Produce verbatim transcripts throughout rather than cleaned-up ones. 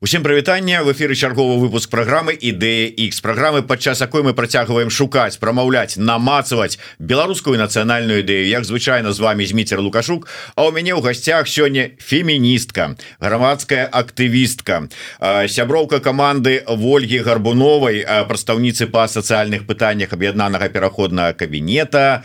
Усім прывітанне, в эфіры чарговы выпуск праграмы Ідэя Х, праграмы, падчас якой мы працягваем шукаць, прамаўляць, намацаваць беларускую нацыянальную ідэю. Як звычайна, з вами Зміцер Лукашук, а ў мяне ў гасцях сёння феміністка, грамадская актывістка, сяброўка каманды Вольгі Гарбуновай, прадстаўніцы па сацыяльных пытаннях аб'яднанага пераходнага кабінета,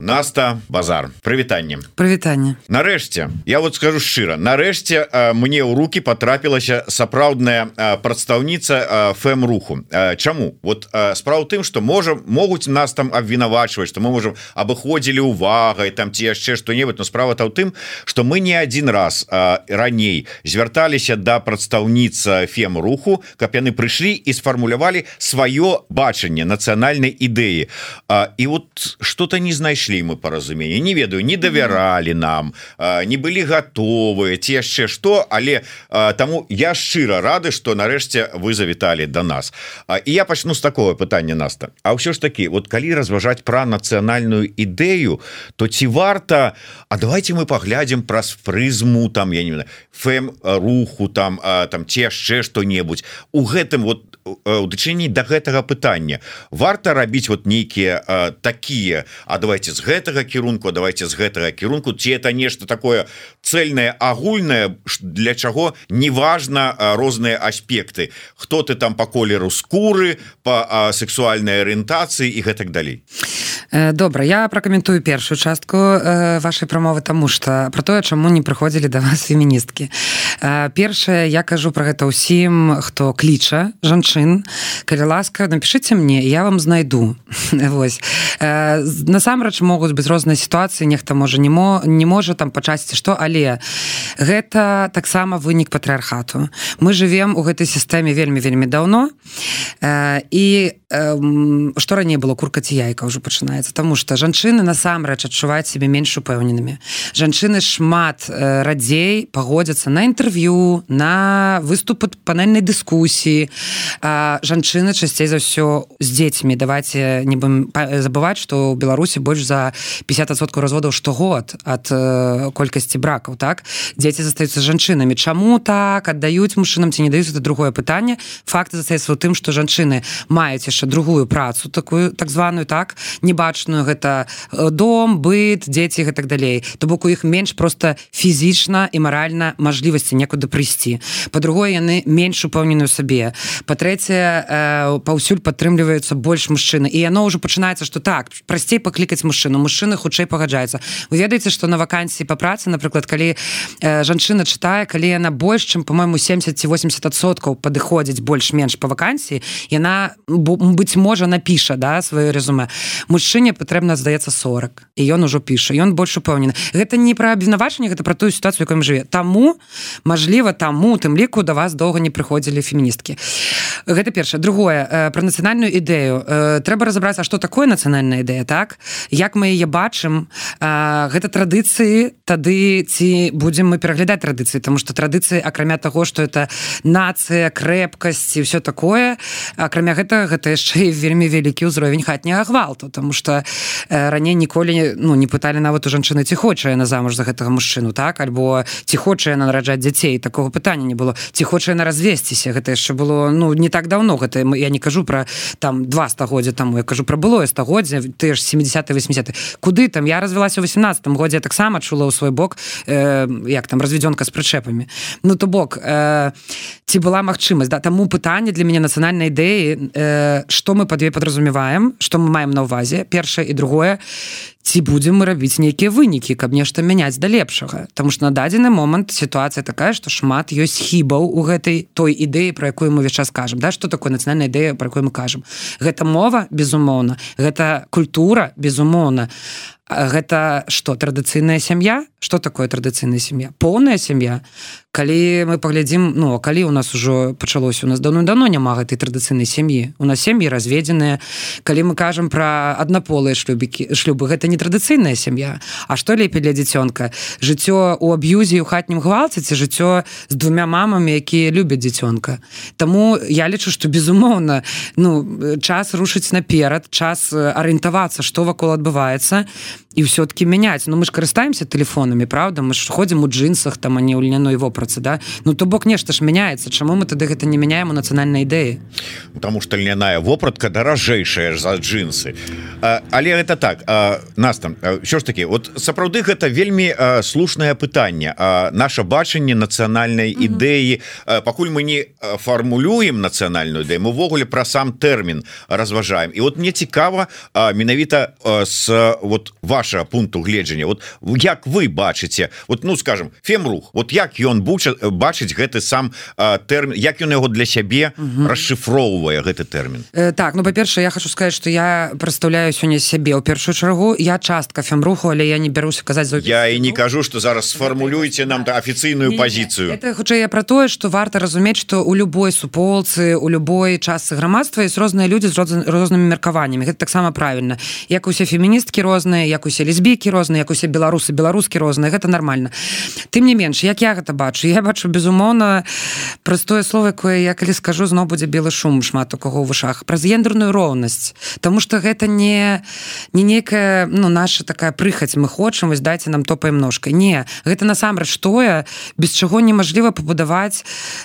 Наста Базар. Прывітанне. Прывітанне. Нарэшце, я вот скажу шчыра, нарэшце мне ў руки потрапілася сапраўдная прадстаўніца фэм-руху. Чаму? Вот справа ў тым, што можам могуць нас там абвінавачваць, што мы можам абыходзілі увагай там ці яшчэ што-небудзь, но справа-то ў тым, што мы не адзін раз раней звярталіся да прадстаўніц фэм-руху, каб яны прыйшлі і сфармулявалі сваё бачанне нацыянальнай ідэі. І вот што-то не знайшлі мы паразумение, не ведаю, не давяралі нам, не былі готовы ці яшчэ што, але таму я шчыра рады, што нарэшце вы завіталі да нас. І я пачну з такого пытання, Наста. А ўсё ж такі, вот калі разважаць пра нацыянальную ідэю, то ці варта, а давайте мы паглядзім праз прызму там, я не знаю, фэм-руху там, там ці яшчэ што-небудзь. У гэтым вот у дачыненні да гэтага пытання варта рабіць вот нейкія такія, а давайте з гэтага кірунку, давайте з гэтага кірунку, ці это нешта такое цельнае, агульнае, для чаго неважна розныя аспекты, хто ты там по колеру скуры, по сексуальнай арыентацыі і гэтак далей. Добра, я пракаментую першую частку вашай прамовы, таму што пра тое, чаму не прыходзілі да вас феміністкі. Першае, я кажу пра гэта ўсім, хто кліча жанчын, калі ласка, напішыце мне, я вам знайду. Вось. Насамрэч могуць быць розныя сітуацыі, нехта можа не, мо, не можа там па часці што, але гэта таксама вынік патрыархату. Мы жывем у гэтай сістэме вельмі-вельмі даўно, і што раней было, курка ці яйка ўжо пачынаецца, таму што жанчыны насамрэч адчуваюць сябе менш упэўненымі. Жанчыны шмат радзей пагодзяцца на інтэрв'ю, на выступы панельнай дыскусіі. Жанчыны часцей за ўсё з дзецьмі. Давайте не будем забываць, што ў Беларусі больш за пятьдесят адсоткаў разводаў штогод ад колькасці бракаў, так? Дзеці застаюцца жанчынамі. Чаму так аддаюць мужчынам ці не даюць, это другое пытанне. Факт застаецца ў тым, што жанчыны маюць яшчэ другую працу, такую так званую, так, небачную, гэта дом, быт, дзеці і так далей. То бок у іх менш проста фізічна і маральна мажлівасці некуды прыйсці. Па-другое, яны менш упэўнены ў сабе. Па-трэцяе, паўсюль падтрымліваюцца больш мужчыны. І яно ўжо пачынаецца, што так, прасцей паклікаць мужчыну, мужчыны хутчэй пагаджаюцца. Вы ведаеце, што на вакансіі па працы, напрыклад, калі жанчына чытае, калі яна больш, чым, па-мойму, семьдесят ці восемьдесят адсоткаў падыходзіць больш-менш па вакансіі, яна быць можа напіша, да, сваё рэзюмэ. Мужчыне патрэбна, здаецца, сорок, і ён ужо піша, ён больш упэўнены. Гэта не пра абвінавачанне, гэта пра тую сітуацыю, якой мы жыве. Таму, мажліва, таму, тым ліку да вас доўга не прыходзілі феміністкі. Гэта першае. Другое, пра нацыянальную ідэю. Трэба разабрацца, што такое нацыянальная ідэя, так? Як мы яе бачым, гэта традыцыі, тады ці будзем мы пераглядаць традыцыі, таму што традыцыі, акрамя таго, што это нацыя, крэпкасць і ўсё такое, акрамя гэтага, гэта яшчэ і вельмі вялікі ўзровень хатняга гвалту, таму што раней ніколі ну, не пыталі нават у жанчыны, ці хоча яна замуж за гэтага мужчыну, так? Альбо ці хоча яна нараджаць дзяцей, такога пытання не было. Ці хоча яна развесціся, гэта яшчэ было ну, не так даўно, гэта я не кажу пра там два стагоддзя таму, я кажу пра былое стагоддзя, тыя ж семидесятые восьмидесятые. Куды там? Я развялася ў восемнадцатым годзе, я таксама чула ў свой бок, э, як там, разведёнка з прычэпамі. Ну, то бок, э, ці была магчымасць, да? Таму пытанне для мяне нацыянальнай ідэі, э, што мы пад ёй падразумеваем, што мы маем на ўвазе, першае і другое, ці будзем мы рабіць нейкія вынікі, каб нешта мяняць да лепшага. Таму што на дадзены момант сітуацыя такая, што шмат ёсць хібаў у гэтай той ідэі, пра якую мы ўвесь час кажам. Да? Што такое нацыянальная ідэя, пра якую мы кажам? Гэта мова, безумоўна, гэта культура, безумоўна. Гэта што, традыцыйная сям'я? Што такое традыцыйная сям'я? Поўная сям'я. Калі мы паглядзім, ну, калі у нас ужо пачалося, у нас даўно-даўно няма гэтай традыцыйнай сям'і. У нас сем'і разведзеныя. Калі мы кажам пра аднаполыя шлюбікі, шлюбы, гэта не традыцыйная сям'я. А што лепей для дзіцёнка? Жыццё ў аб'юзе і ў хатнім гвалце ці жыццё з двумя мамамі, якія любяць дзіцёнка? Таму я лічу, што, безумоўна, ну, час рушыць наперад, час арыентавацца, што вакол адбываецца. і ўсё-таки мяняць. Ну мы ж карыстаемся тэлефонамі, правда, мы ж ходзім у джинсах там, а не ў льняной вопратцы, да? Ну то бок нешта ж мяняецца, чаму мы тады гэта не мяняем у нацыянальнай ідэі? Потому что льняная вопратка даражэйшая за джинсы. А, але гэта так, а, нас там що ж таки, вот сапраўды гэта вельмі а, слушнае пытанне. А, наша бачанне нацыянальнай mm-hmm. ідэі, а, пакуль мы не фармулюем нацыянальную ідэю, мы ўвогуле пра сам тэрмін разважаем. І вот мне цікава а, менавіта а, с вот вашего пункту гледжання, вот як вы бачыце, вот ну скажем фемрух, вот як ён бачыць гэты сам а, тэрмін, як ён яго для сябе угу. расшифроўвае гэты тэрмін? Э, так, ну па-першае, я хочу сказать, что я прадстаўляю сёння сябе ў першую чаргу, я частка фемруху, але я не бяруся казаць за я і не кажу, что зараз сфармулюйте нам афіцыйную пазіцыю. Это хутчэй я про тое, что варта разумець, что у любой суполцы, у любой частцы грамадства ёсць розныя людзі з рознымі меркаваннямі. Гэта таксама правільна. Як усе феміністкі розныя, як усе лесбійкі розныя, як усе беларусы, беларускі розныя, гэта нармальна. Тым не менш, як я гэта бачу, я бачу безумоўна простое слово, якое я калі скажу, зноў будзе белы шум шмат у каго ў вушах, праз гендерную роўнасць. Таму што гэта не не нейкая, ну, наша такая прыхаць, мы хочам, вось дайце нам топаем ножкай. Не, гэта насамрэч тое, без чаго немажліва пабудаваць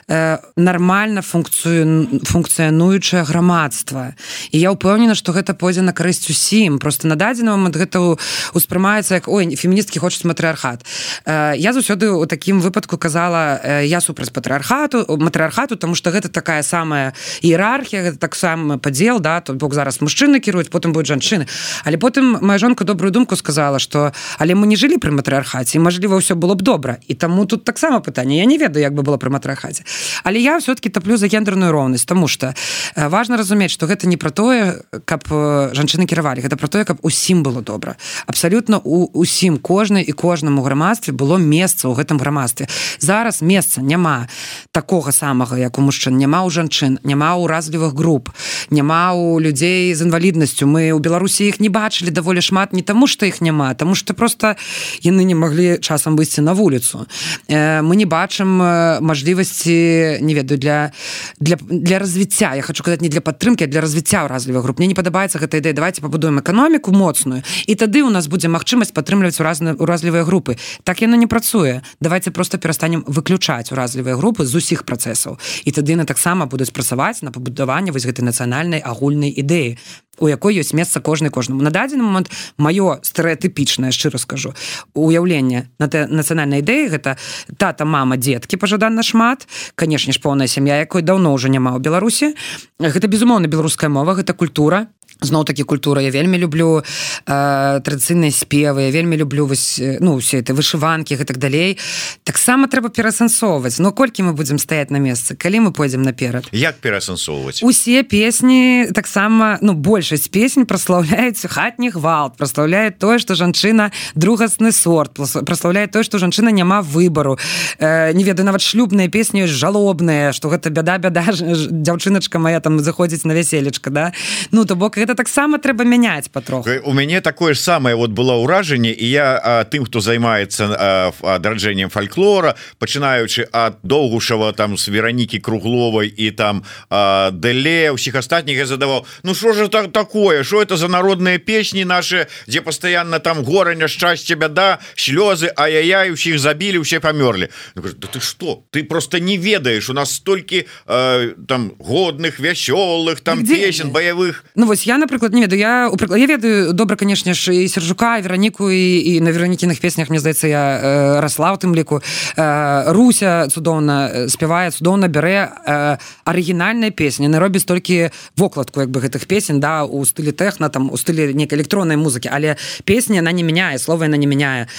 э, нармальна функцыю функцыянуючае грамадства. І я ўпэўнена, што гэта пойдзе на карысць усім. Просто на дадзены момант гэта успрымаецца як ой, феміністкі хочуць матрыархат. Э, я заўсёды у такім выпадку казала, э, я супраць патрыархату, матрыархату, тому што гэта такая самая іерархія, гэта таксама падзел, да, то бок зараз мужчыны кіруюць, потым будуць жанчыны. Але потым моя жонка добрую думку сказала, што але мы не жылі пры матрыархаце, і мажліва ўсё было б добра. І таму тут таксама пытанне. Я не ведаю, як бы было пры матрыархаце. Але я ўсё-таки таплю за гендерную роўнасць, тому што э, важна разумець, што гэта не пра тое, каб э, жанчыны кіравалі, гэта пра тое, каб усім было добра. Абсалютна у усім, кожнай і кожнаму грамадстве было месца ў гэтым грамадстве. Зараз месца няма такога самага, як у мужчын, няма ў жанчын, няма ў уразлівых груп, няма ў людзей з інваліднасцю. Мы ў Беларусі іх не бачылі даволі шмат не таму, што іх няма, таму што проста яны не маглі часам выйсці на вуліцу. Э, мы не бачым мажлівасці, не ведаю, для, для, для развіцця. Я хочу казаць не для падтрымкі, а для развіцця уразлівых груп. Мне не падабаецца гэта ідэя. Давайте пабудуем эканоміку моцную, і тады у нас будзе магчымасць падтрымліваць уразлівыя групы. Так яно не працуе. Давайте просто перастанем выключаць уразлівыя групы з усіх працэсаў. І тады яны таксама будуць працаваць на пабудаванне вось гэтай нацыянальнай агульнай ідэі, у якой ёсць месца кожнай кожнаму. На дадзены момант маё стэрэатыпічнае, шчыра скажу, уяўленне на нацыянальнай ідэі гэта тата, мама, дзеткі пажаданна шмат, канешне ж поўная сям'я, якой даўно ўжо няма ў Беларусі. Гэта безумоўна беларуская мова, гэта культура. Зноў такі культура. Я вельмі люблю э, традыцыйныя спевы, я вельмі люблю вось, ну, усе это вышыванкі і так далей. Таксама трэба перасэнсоўваць. Но колькі мы будзем стаяць на месцы, калі мы пойдзем наперад? Як перасэнсоўваць? Усе песні таксама, ну, большасць песень праслаўляюць хатні гвалт, праслаўляюць тое, што жанчына другасны сорт, праслаўляюць тое, што жанчына няма выбару. Э, не ведаю, нават шлюбныя песні жалобныя, што гэта бяда-бяда, дзяўчыначка моя там заходзіць на вяселечка, да? Ну, то бок гэта таксама трэба мяняць патроху. У мяне такое ж самае вот было ўражанне, і я а, тым, хто займаецца адраджэннем фальклора, пачынаючы ад Доўгушава, там з Веранікі Кругловай і там а, Дэле, усіх астатніх я задаваў, ну што ж так такое, что это за народныя песні наши, дзе пастаянна там гора, няшчасце, бяда, слёзы, ай-яй-яй, усіх забілі, усе памёрлі. Да ты што? Ты просто не ведаеш, у нас столькі а, там годных, вясёлых там песен, баявых. Ну вось я, напрыклад, не ведаю, я, я ведаю добра, канешне ж, і Сержука, і Вераніку, і, і на Веранікіных песнях, мне здаецца, я э, расла ў тым ліку. Э, Руся цудоўна спявае, цудоўна бярэ э, арыгінальныя песні, не робіць толькі вокладку, як бы, гэтых песен, да, у стылі тэхна, там, у стылі нейкай электроннай музыкі, але песня, она не мяняе, слова яна не мяняе.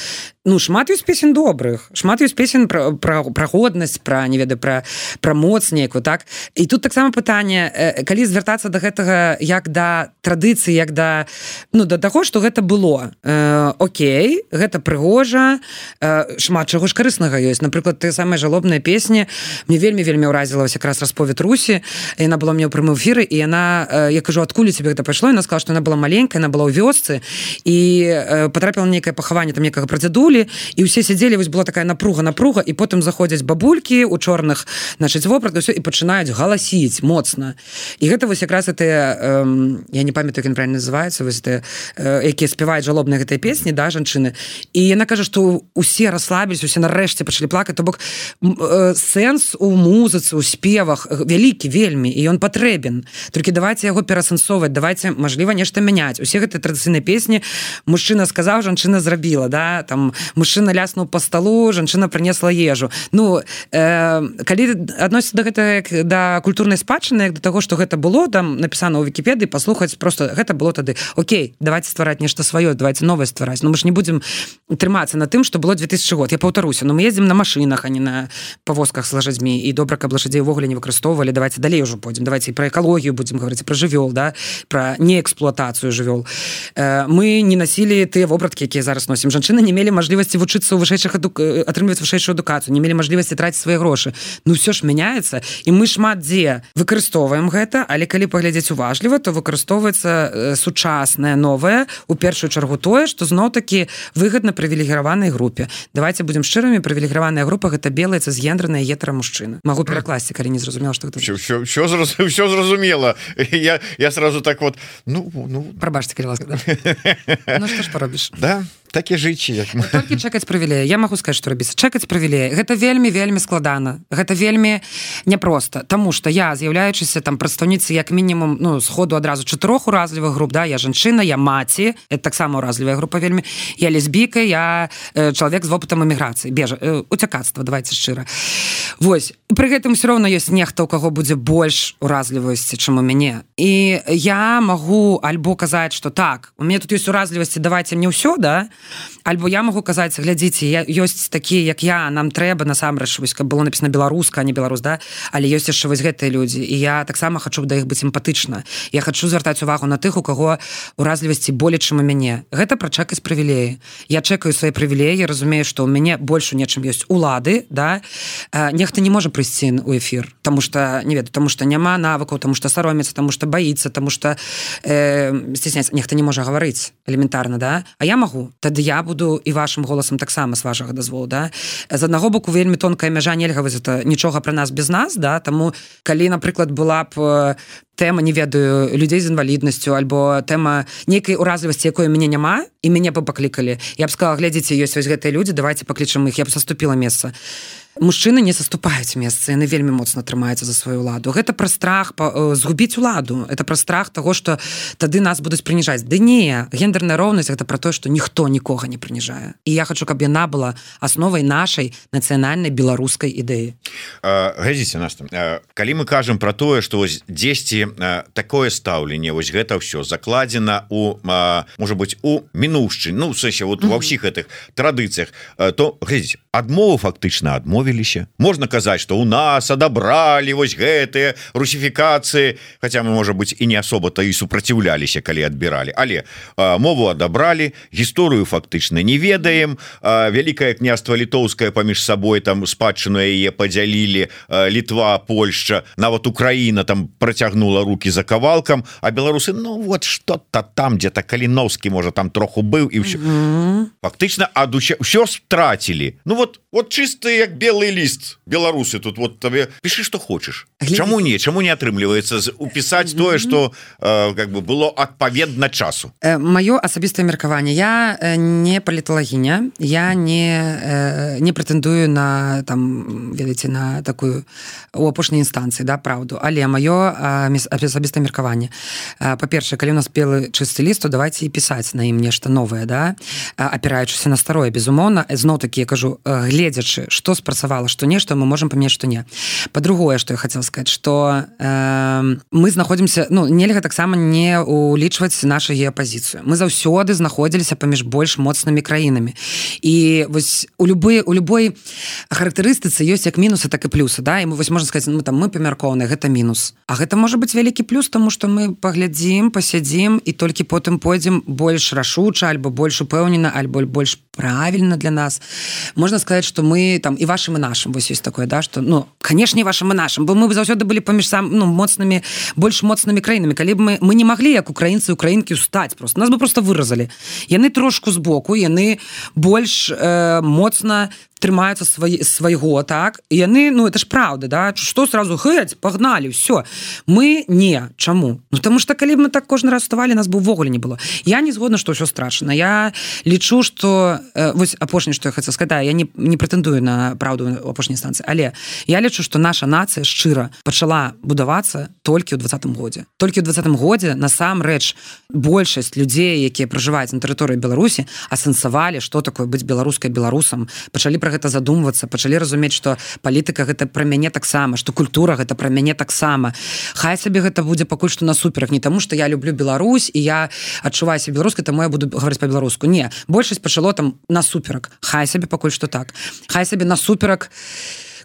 Ну, шмат ёсць песен добрых, шмат ёсць песен пра, пра, пра годнасць, пра, не ведаю, пра, пра моц нейкую, так? І тут таксама пытанне, э, калі звяртацца да гэтага як да традыцыі, як да, ну, да таго, што гэта было. Э, окей, гэта прыгожа, э, шмат чаго ж карыснага ёсць. Напрыклад, тыя самыя жалобныя песні, мне вельмі-вельмі ўразіла вось якраз расповед Русі, яна была мне ў прямым эфіры, і яна, э, я кажу, адкуль у цябе гэта пайшло? Яна сказала, што яна была маленькая, яна была ў вёсцы, і э, патрапіла на нейкае пахаванне там некага прадзядулі, чулі і ўсе сядзелі, вось была такая напруга напруга і потым заходзяць бабулькі у чорных, значыць, вопратах і пачынаюць галасіць моцна. І гэта вось якраз гэтыя, э, я не памятаю, як ён правильно называецца, вось гэтыя, э, якія спяваюць жалобныя гэтыя песні, да, жанчыны. І яна кажа, што усе расслабілись, усе нарэшце пачалі плакаць, то бок э, сэнс у музыцы, у спевах вялікі вельмі, і ён патрэбен. Толькі давайте яго перасэнсоўваць, давайте, мажліва, нешта мяняць. Усе гэтыя традыцыйныя песні мужчына сказаў, жанчына зрабіла, да, там мужчына ляснуў па сталу, жанчына прынесла ежу. Ну, э, калі адносіцца да гэта як да культурнай спадчыны, як да таго, што гэта было, там напісана ў Вікіпедыі, паслухаць, просто гэта было тады. Окей, давайте ствараць нешта сваё, давайте новае ствараць. Ну, мы ж не будзем трымацца на тым, што было две тысячы год. Я паўтаруся, ну, мы ездзім на машынах, а не на павозках з лошадзьмі, і добра, каб лошадзей увогуле не выкарыстоўвалі. Давайте далей ужо пойдзем, давайте і пра экалогію будзем гаварыць, пра жывёл, да, пра неэксплуатацыю жывёл. Э, мы не насілі тыя вопраткі, якія зараз носім. Жанчыны не мелі мажлівасці вучыцца ў вышэйшых адук... атрымліваць вышэйшую адукацыю, не мелі мажлівасці траціць свае грошы. Ну, ўсё ж мяняецца, і мы шмат дзе выкарыстоўваем гэта, але калі паглядзець уважліва, то выкарыстоўваецца э, сучаснае, новае, у першую чаргу тое, што зноў-такі выгадна прывілегіраванай групе. Давайте будзем шчырымі, прывілегіраваная група гэта белая цысгендерная гетера-мужчына. Магу перакласці, калі не зразумела, што гэта. Всё, всё, зраз... всё зразумела. Я, я сразу так вот, ну, ну... Прабачце, калі ласка, да? Ну, што ж паробіш? Да, так і жыць. Толькі чакаць прывілея. Я магу сказаць, што рабіцца. Чакаць прывілея. Гэта вельмі, вельмі складана. Гэта вельмі няпроста. Таму што я, з'яўляючыся там прадстаўніцы як мінімум, ну, сходу адразу чатырох уразлівых груп, да, я жанчына, я маці, это таксама уразлівая група вельмі, я лесбійка, я э, чалавек з вопытам эміграцыі, бежа, э, уцякацтва, давайте шчыра. Вось. Пры гэтым все роўна ёсць нехта, у каго будзе больш уразлівасці, чым у мяне. І я магу альбо казаць, што так, у мяне тут ёсць уразлівасці, давайте мне ўсё, да, альбо я магу казаць, глядзіце, я, ёсць такія, як я, нам трэба насамрэч, вось, каб было напісана беларуска, а не беларус, да, але ёсць яшчэ вось гэтыя людзі, і я таксама хачу да іх быць эмпатычна. Я хачу звяртаць увагу на тых, у каго уразлівасці болей, чым у мяне. Гэта пра чакаць прывілеі. Я чекаю свае прывілеі, разумею, што ў мяне больш у нечым ёсць улады, да, нехта не можа прыйсці ў эфір, таму што, не ведаю, таму што няма навыкаў, таму што саромецца, таму што баіцца, таму што э, стесняецца, нехта не можа гаварыць элементарна, да, а я магу, тады я буду і вашым голасам таксама з вашага дазволу, да. З аднаго боку вельмі тонкая мяжа, нельга вось это нічога пра нас без нас, да, таму калі, напрыклад, была б тэма, не ведаю, людзей з інваліднасцю альбо тэма нейкай уразлівасці, якой у мяне няма, і мяне б паклікалі. Я б сказала, глядзіце, ёсць вось гэтыя людзі, давайте паклічам іх, я б саступіла месца. Мужчыны не саступаюць месца, яны вельмі моцна трымаюцца за сваю ўладу. Гэта пра страх па, згубіць уладу, это пра страх таго, што тады нас будуць прыніжаць. Ды не, гендерная роўнасць гэта пра тое, што ніхто нікога не прыніжае. І я хачу, каб яна была асновай нашай нацыянальнай беларускай ідэі. Глядзіце, Настя, калі мы кажам пра тое, што вось дзесьці такое стаўленне, вось гэта ўсё закладзена у, можа быць, у мінуўшчыне, ну, в сэнсе, вот ва ўсіх гэтых традыцыях, то, глядзіце, адмову фактычна адмовіліся. Можна казаць, што ў нас адабралі вось гэтыя русіфікацыі, хаця мы, можа быць, і не асоба-то і супраціўляліся, калі адбіралі, але а, мову адабралі, гісторыю фактычна не ведаем, а, вялікае княства літоўскае паміж сабой там спадчыну яе падзялілі, а, Літва, Польшча, нават Украіна там працягнула рукі за кавалкам, а беларусы, ну вот што-то там дзе-то Каліновскі, можа, там троху быў і ўсё. Mm-hmm. Фактычна ад усё, ўсё страцілі. Ну вот, вот чисты як белый ліст, беларусы тут вот табе пішы, што хочаш. Чаму не, чаму не атрымліваецца упісаць mm-hmm. тое, што э, как бы было адпаведна часу? Э, маё асабістае меркаванне. Я э, не паліталагіня, я не, э, не прэтэндую на, там, ведаеце, на такую у апошняй інстанцыі, да, праўду, але маё асабістае меркаванне. Па-першае, калі у нас белы чысты ліст, то давайте і пісаць на ім нешта новае, да, апіраючыся на старое, безумоўна, зноў-такі, я кажу, гледзячы, што спрацавала, што нешта, мы можам памяць, што не. Па-другое, што я хацела сказаць, што э, мы знаходзімся, ну, нельга таксама не улічваць нашу геапазіцыю. Мы заўсёды знаходзіліся паміж больш моцнымі краінамі. І вось у любой, у любой характарыстыцы ёсць як мінусы, так і плюсы, да, і мы вось можна сказаць, ну, там, мы памяркоўныя, гэта мінус. А гэта можа быць вялікі плюс, таму што мы паглядзім, пасядзім і толькі потым пойдзем больш рашуча, альбо больш упэўнена, альбо больш правильно для нас. Можна сказаць, што мы там і вашым і нашым вось ёсць такое, да, што ну, канешне, вашым і нашым, бо мы заўсёды былі паміж сам ну, моцнымі, больш моцнымі краінамі. Калі б мы, мы не маглі, як украінцы і украінкі, устаць просто. Нас бы просто выразалі. Яны трошку збоку, яны больш э, моцна трымаюцца свай, свайго, так? І яны, ну, это ж правда, да? Што сразу гыць, пагналі, ўсё. Мы не. Чаму? Ну, таму што калі б мы так кожны раз вставалі, нас бы ўвогуле не было. Я не згодна, што ўсё страшна. Я лічу, што... Э, вось апошняе, што я хацела сказаць, я не, не прэтэндую на праўду ў апошняй станцыі, але я лічу, што наша нацыя шчыра пачала будавацца толькі ў двадцатым годзе. Толькі ў двадцатым годзе, насамрэч, большасць людзей, якія пражываюць на тэрыторыі Беларусі, асэнсавалі, што такое быць беларускай беларусам, пачалі пра гэта задумвацца, пачалі разумець, што палітыка гэта пра мяне таксама, што культура гэта пра мяне таксама. Хай сабе гэта будзе пакуль што насуперак, не таму, што я люблю Беларусь і я адчуваю сябе беларускай, таму я буду гаварыць па-беларуску. Не, большасць пачало там насуперак. Хай сабе пакуль што так. Хай сабе насуперак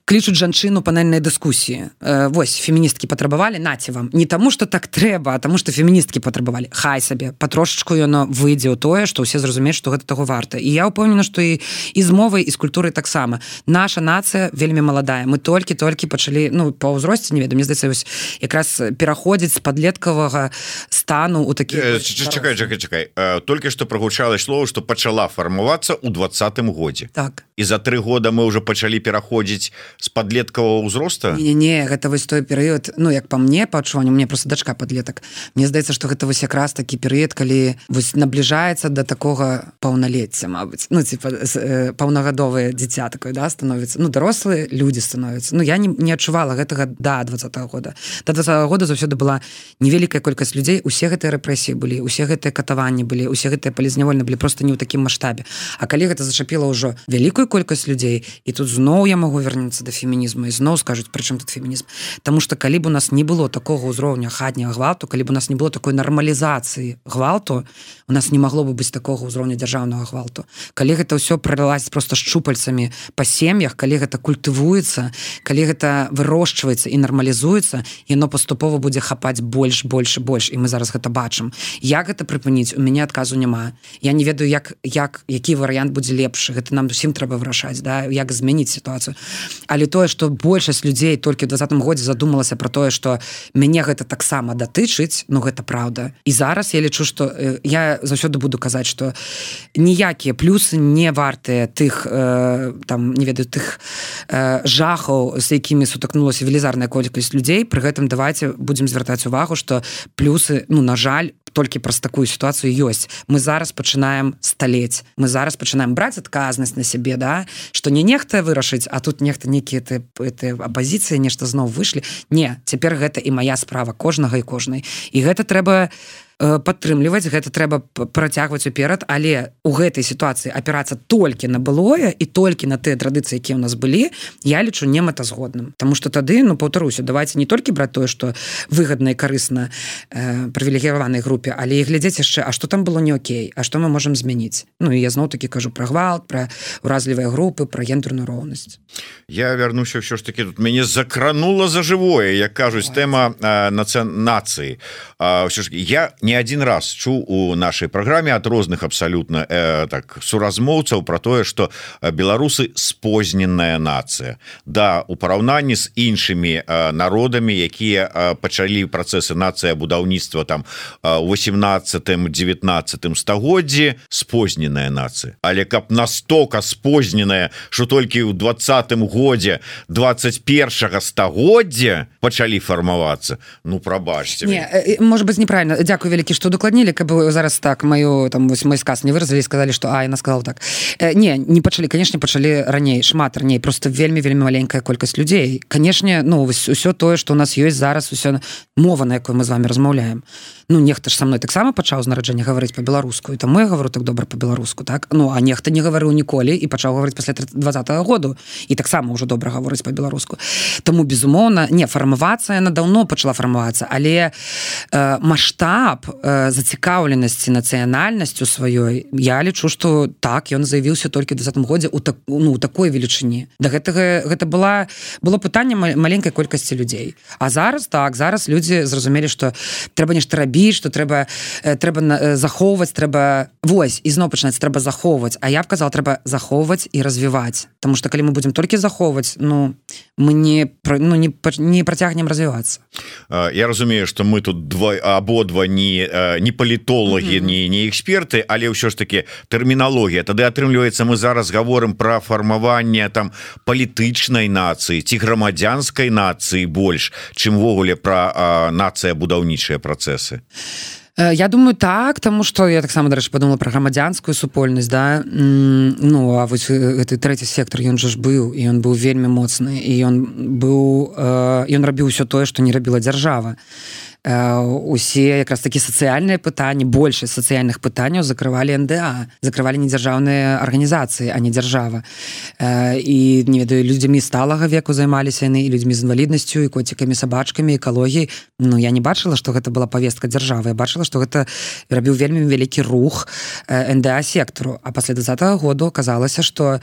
клічуць жанчыну панельнай дыскусіі. Э, вось, феміністкі патрабавалі, наце вам. Не таму, што так трэба, а таму, што феміністкі патрабавалі. Хай сабе, патрошачку яно выйдзе ў тое, што ўсе зразумеюць, што гэта таго варта. І я ўпэўнена, што і, і з мовай, і з культурай таксама. Наша нацыя вельмі маладая. Мы толькі-толькі пачалі, ну, па ўзросце, не ведаю, мне здаецца, вось, якраз пераходзіць з падлеткавага стану ў такі... Э, чакай, чакай, чакай. Э, толькі што прагучала слово, што пачала фармавацца ў двадцатым годзе. Так. І за тры года мы ўжо пачалі пераходзіць з падлеткавага ўзроста? Не-не, гэта вось той перыяд, ну, як па мне, па адчуванню, у мяне просто дачка падлетак. Мне здаецца, што гэта вось якраз такі перыяд, калі вось набліжаецца да такога паўналецця, мабыць. Ну, типа, э, паўнагадовае дзіця такое, да, становіцца. Ну, дарослыя людзі становяцца. Ну, я не, не адчувала гэтага да двадцатага года. Да двадцатага года заўсёды была невялікая колькасць людзей, усе гэтыя рэпрэсіі былі, усе гэтыя катаванні былі, усе гэтыя палізнявольны былі проста не ў такім маштабе. А калі гэта зачапіла ўжо вялікую колькасць людзей, і тут зноў я магу вярнуцца да фемінізму, і зноў скажуць, пры чым тут фемінізм. Таму што калі б у нас не было такога ўзроўня хатняга гвалту, калі б у нас не было такой нармалізацыі гвалту, у нас не магло бы быць такога ўзроўня дзяржаўнага гвалту. Калі гэта ўсё прылазіць проста шчупальцамі па сем'ях, калі гэта культывуецца, калі гэта вырошчваецца і нармалізуецца, яно паступова будзе хапаць больш, больш і больш, і мы зараз гэта бачым. Як гэта прыпыніць? У мяне адказу няма. Я не ведаю, як, як, які варыянт будзе лепшы. Гэта нам усім трэба вырашаць, да? Як змяніць сітуацыю. Але тое, што большасць людзей толькі ў двадцатым годзе задумалася пра тое, што мяне гэта таксама датычыць, ну гэта праўда. І зараз я лічу, што э, я заўсёды буду казаць, што ніякія плюсы не вартыя тых, э, там, не ведаю, тых э, жахаў, з якімі сутыкнулася велізарная колькасць людзей. Пры гэтым давайце будзем звяртаць увагу, што плюсы, ну, на жаль, толькі праз такую сітуацыю ёсць. Мы зараз пачынаем сталець. Мы зараз пачынаем браць адказнасць на сябе, да? Што не нехта вырашыць, а тут нехта нейкія апазіцыі, нешта зноў выйшлі. Не, цяпер гэта і мая справа, кожнага і кожнай. І гэта трэба падтрымліваць, гэта трэба працягваць уперад, але ў гэтай сітуацыі апірацца толькі на былое і толькі на тыя традыцыі, якія ў нас былі, я лічу немэтазгодным. Таму што тады, ну, паўтаруся, давайце не толькі браць тое, што выгадна і карысна э, прывілегіраванай групе, але і глядзець яшчэ, а што там было не окей, а што мы можам змяніць. Ну, і я зноў-такі кажу пра гвалт, пра ўразлівыя групы, пра гендерную роўнасць. Я вярнуся ўсё ж такі, тут мяне закранула за жывое, як кажуць, тэма э, нацыі. Э, ўсё ж такі, я не один раз чуў у нашай праграме ад розных абсалютна э, так суразмоўцаў пра тое, што беларусы спозненая нацыя. Да, у параўнанні з іншымі э, народамі, якія э, пачалі працэсы нацыябудаўніцтва там э, у восемнадцатым дзевятнаццатым стагоддзі, спозненая нацыя. Але каб настолько спозненая, што толькі ў двадцатым годзе двадцать першага стагоддзя пачалі фармавацца, ну прабачце. Не, можа быць неправільна. Дзякую вялікі, што дакладнілі, каб зараз так маю там вось мой сказ не выразалі і сказалі, што а, яна сказала так. Э, не, не пачалі, канешне, пачалі раней, шмат раней, просто вельмі-вельмі маленькая колькасць людзей. Канешне, ну, вось усё тое, што у нас ёсць зараз, усё мова, на якой мы з вами размаўляем. Ну, нехта ж са мной таксама пачаў з нараджэння гаварыць па-беларуску, і таму я гавару так добра па-беларуску, так? Ну, а нехта не гаварыў ніколі і пачаў гаварыць пасля двадцатага году, і таксама ўжо добра гаворыць па-беларуску. Таму, безумоўна, не, фармавацца яна даўно пачала фармавацца, але э, маштаб э, зацікаўленасці нацыянальнасцю сваёй, я лічу, што так, ён заявіўся толькі ў двадцатым годзе ў так, ну, такой велічыні. Да гэтага гэта была, было пытанне маленькай колькасці людзей. А зараз, так, зараз людзі людзі зразумелі, што трэба нешта рабіць, што трэба трэба захоўваць, трэба вось ізноў пачынаць, трэба захоўваць, а я б казала, трэба захоўваць і развіваць, тому што калі мы будзем толькі захоўваць, ну мы не ну не не працягнем развівацца. Я разумею, што мы тут два абодва не не палітолагі, mm-hmm. не не эксперты, але ўсё ж таки тэрміналогія. Тады атрымліваецца, мы зараз гаворым пра фармаванне там палітычнай нацыі ці грамадзянскай нацыі больш, чым ввогуле пра нацыя будаўнічыя працэсы. Я думаю, так, тому што я таксама, дарэчы, подумала пра грамадзянскую супольнасць, да, ну, а вось гэты трэці сектор, ён жа ж быў, і ён быў вельмі моцны, і ён быў, ён рабіў усё тое, што не рабіла дзяржава. Усе якраз такі сацыяльныя пытанні, большасць сацыяльных пытанняў закрывалі эн дэ а, закрывалі недзяржаўныя арганізацыі, а не дзяржава. І, не ведаю, людзьмі сталага веку займаліся яны, і людзьмі з інваліднасцю, і коцікамі, сабачкамі, экалогіяй. Ну, я не бачыла, што гэта была павестка дзяржавы. Я бачыла, што гэта рабіў вельмі вялікі рух эн дэ а-сектару. А пасля двадцатага году аказалася, што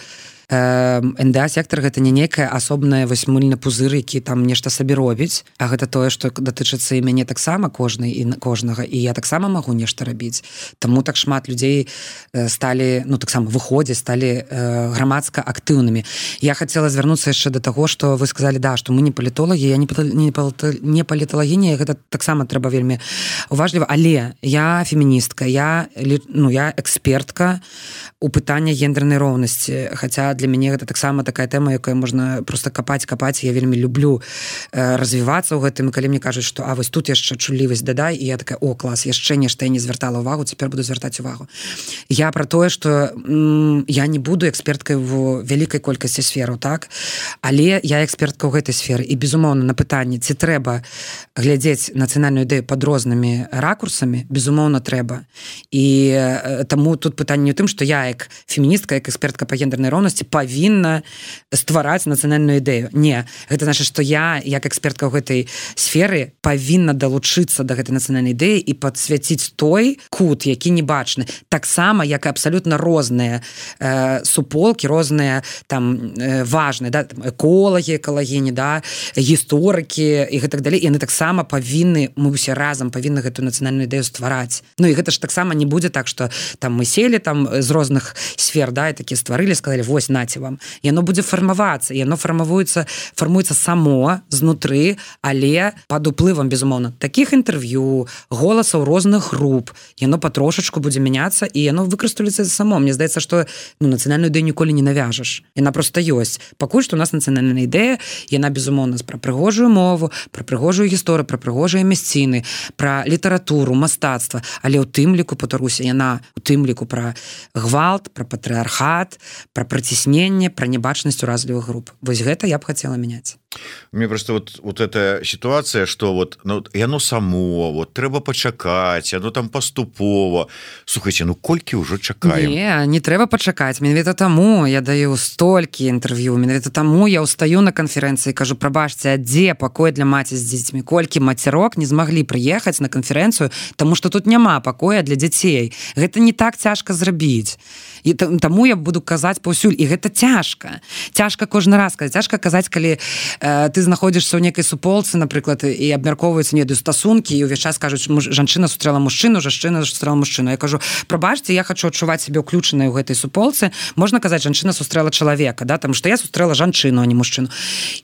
эн дэ а-сектор гэта не нейкая асобная васьмыльны пузыр, які там нешта сабе робіць, а гэта тое, што датычыцца і мяне таксама кожнай і кожнага, і я таксама магу нешта рабіць. Таму так шмат людзей сталі, ну таксама выходзяць, сталі грамадска актыўнымі. Я хацела звярнуцца яшчэ да таго, што вы сказалі, да, што мы не палітолагі, я не паліталагіня, гэта таксама трэба вельмі уважліва, але я феміністка, я, ну, я экспертка у пытанні гендернай роўнасці, хаця для мяне гэта таксама такая тэма, якая можна просто капаць, капаць. Я вельмі люблю э, развівацца ў гэтым, і калі мне кажуць, што а вось тут яшчэ чуллівасць дадай, і я такая, о, клас, яшчэ нешта я не звяртала ўвагу, цяпер буду звяртаць увагу. Я пра тое, што м, я не буду эксперткай в вялікай колькасці сфераў, так? Але я экспертка ў гэтай сферы, і, безумоўна, на пытанне, ці трэба глядзець нацыянальную ідэю пад рознымі ракурсамі, безумоўна, трэба. І э, таму тут пытанне ў тым, што я як феміністка, як экспертка па гендернай роўнасці павінна ствараць нацыянальную ідэю. Не, гэта значыць, што я, як экспертка ў гэтай сферы, павінна далучыцца да гэтай нацыянальнай ідэі і падсвяціць той кут, які не бачны. Таксама, як і абсалютна розныя э, суполкі, розныя там э, важныя, да, там, эколагі, экалагіні, да, гісторыкі і гэтак далей. Яны таксама павінны, мы ўсе разам павінны гэтую нацыянальную ідэю ствараць. Ну і гэта ж таксама не будзе так, што там мы селі там з розных сфер, да, і такі стварылі, сказалі, вось, наце вам. Яно будзе фармавацца, яно фармавуецца, фармуецца само, знутры, але пад уплывам, безумоўна, такіх інтэрв'ю, голасаў розных груп, яно патрошачку будзе мяняцца, і яно выкарыстовваецца само. Мне здаецца, што ну, нацыянальную ідэю ніколі не навяжаш. Яна проста ёсць. Пакуль што у нас нацыянальная ідэя, яна, безумоўна, пра прыгожую мову, пра прыгожую гісторыю, пра прыгожыя мясціны, пра літаратуру, мастацтва, але ў тым ліку, паўтаруся, яна у тым ліку пра гвалт, пра патрыархат, пра прыцісненне, пра небачнасць уразлівых груп. Вось гэта я б хацела мяняць. Мне просто вот, вот эта ситуация, что вот, ну, яно само, вот, трэба пачакаць, яно там паступова. Слухайте, ну колькі ўжо чакаем? Не, не трэба пачакаць. Менавіта таму я даю столькі інтэрв'ю, менавіта таму я ўстаю на канферэнцыі і кажу, прабачце, а дзе пакой для маці з дзецьмі? Колькі мацярок не змаглі прыехаць на канферэнцыю, таму што тут няма пакоя для дзяцей. Гэта не так цяжка зрабіць. І таму я буду казаць паўсюль, і гэта цяжка. Цяжка кожны раз казаць. Цяжка казаць, калі э, ты знаходзішся ў нейкай суполцы, напрыклад, і абмяркоўваюцца нейкія стасункі, і ўвесь час кажуць, жанчына сустрэла мужчыну, жанчына сустрэла мужчыну. Я кажу, прабачце, я хачу адчуваць сябе ўключанай у гэтай суполцы. Можна казаць, жанчына сустрэла чалавека, да, таму што я сустрэла жанчыну, а не мужчыну.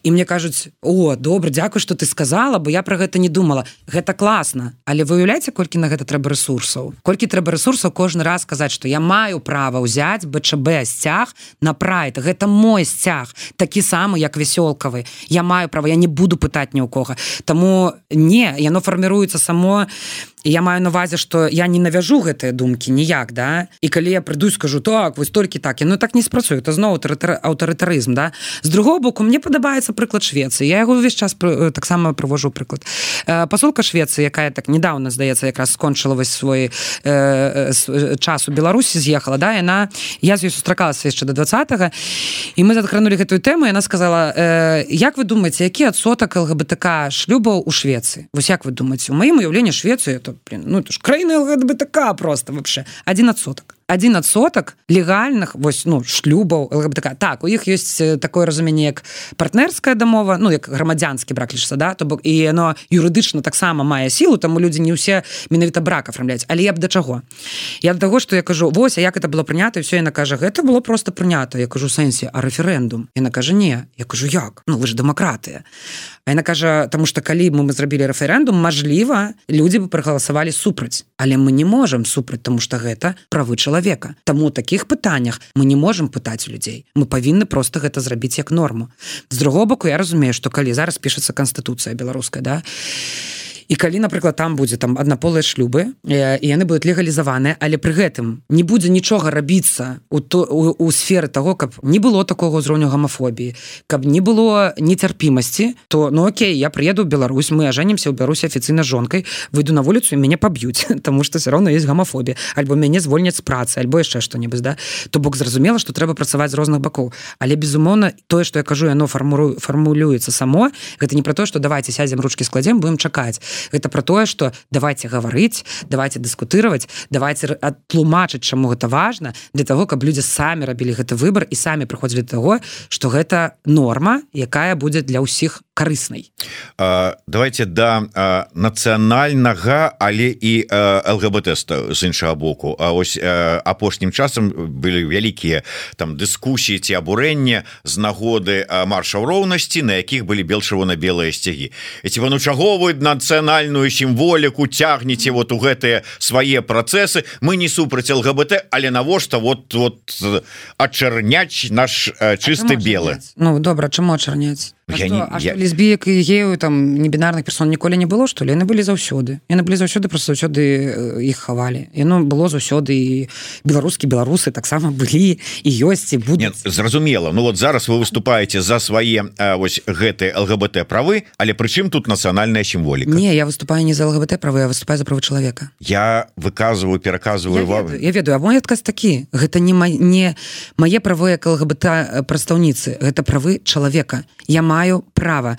І мне кажуць, о, добра, дзякуй, што ты сказала, бо я пра гэта не думала. Гэта класна, але вы уяўляеце, колькі на гэта трэба рэсурсаў? Колькі трэба рэсурсаў кожны раз казаць, што я маю права ўзяць бэ чэ бэ сцяг на прайд. Гэта мой сцяг, такі самы, як вясёлкавы. Я маю права, я не буду пытаць ні ў кога. Таму не, яно фарміруецца само. І я маю на ўвазе, што я не навяжу гэтыя думкі ніяк, да? І калі я прыйду і скажу, так, вось толькі так, яно так не спрацуе, это зноў аўтарытарызм, да? З другого боку, мне падабаецца прыклад Швецыі. Я яго ўвесь час таксама прывожу прыклад. Пасолка Швецыі, якая так недавно, здаецца, якраз скончыла вось свой э, час у Беларусі, з'ехала, да? Яна, я з ёй сустракалася яшчэ да двадцатага, і мы закранулі гэтую тэму, і яна сказала, э, як вы думаеце, які адсотак эл гэ бэ тэ ка шлюбаў у Швецыі? Вось як вы думаеце? У маім уяўленні Швецыі это, блин, ну это ж краіна эл гэ бэ тэ ка просто вообще. Один адсотак. один адсотак легальных вось ну шлюбаў ЛГБТК. Так, у іх ёсць такое разуменне як партнерская дамова, ну як грамадзянскі брак лічыцца, да, то бок і яно юрыдычна таксама мае сілу, таму людзі не ўсе менавіта брак афармляюць. Але я б да чаго? Я да таго, што я кажу, вось, а як это было прынята, і ўсё, яна кажа, гэта было просто прынята. Я кажу, сэнсе, а рэферэндум? Яна кажа, не. Я кажу, як? Ну вы ж дэмакратыя. А яна кажа, таму што калі мы зрабілі рэферэндум, мажліва, людзі бы прагаласавалі супраць. Але мы не можам супраць, таму што гэта правы чалавека. Таму ў такіх пытаннях мы не можам пытаць у людзей. Мы павінны проста гэта зрабіць як норму. З другого боку, я разумею, што калі зараз пішацца канстытуцыя беларуская, да, і калі, напрыклад, там будзе там аднаполыя шлюбы, і яны будуць легалізаваныя, але пры гэтым не будзе нічога рабіцца у, то, у, у сферы таго, каб не было такога ўзроўню гамафобіі, каб не было нецярпімасці, то, ну окей, я прыеду ў Беларусь, мы ажэнімся ў Беларусі афіцыйна з жонкай, выйду на вуліцу і мяне паб'юць, таму што все роўно ёсць гамафобія, альбо мяне звольняць з працы, альбо яшчэ што-небудзь, да? То бок зразумела, што трэба працаваць з розных бакоў. Але, безумоўна, тое, што я кажу, яно фармулюецца само, гэта не пра тое, што давайте сядзем, ручкі складзем, будем чакаць. Гэта пра тое, што давайте гаварыць, давайте дыскутыраваць, давайте тлумачыць, чаму гэта важна, для таго, каб людзі самі рабілі гэты выбар і самі прыходзілі да таго, што гэта норма, якая будзе для ўсіх карыснай. А, давайте да а, нацыянальнага, але і ЛГБТ з іншага боку. А ось а, апошнім часам былі вялікія там дыскусіі ці абурэння з нагоды маршаў роўнасці, на якіх былі бел-чырвона-белыя сцягі. І ці вы, ну чаго вы нацыянальную сімволіку цягнеце вот у гэтыя свае працэсы, мы не супраць ЛГБТ, але навошта вот, вот ачарняць наш чысты белы. Ну добра, чаму ачарняць? А, я што, не, а я... што лесбіек і гею там небінарных персон ніколі не было, што ли? Яны былі заўсёды. Яны былі заўсёды, просто заўсёды іх хавалі. Яно было заўсёды, і беларускі беларусы таксама былі і ёсць і будуць. Нет, зразумела. Ну вот зараз вы выступаеце за свае вось гэтыя ЛГБТ правы, але прычым тут нацыянальная сімволіка? Не, я выступаю не за ЛГБТ правы, я выступаю за правы чалавека. Я выказываю, пераказываю я вам. Ведаю, я ведаю, а мой адказ такі. Гэта не, ма... не мае правы як ЛГБТ прадстаўніцы, гэта правы чалавека. Я маю права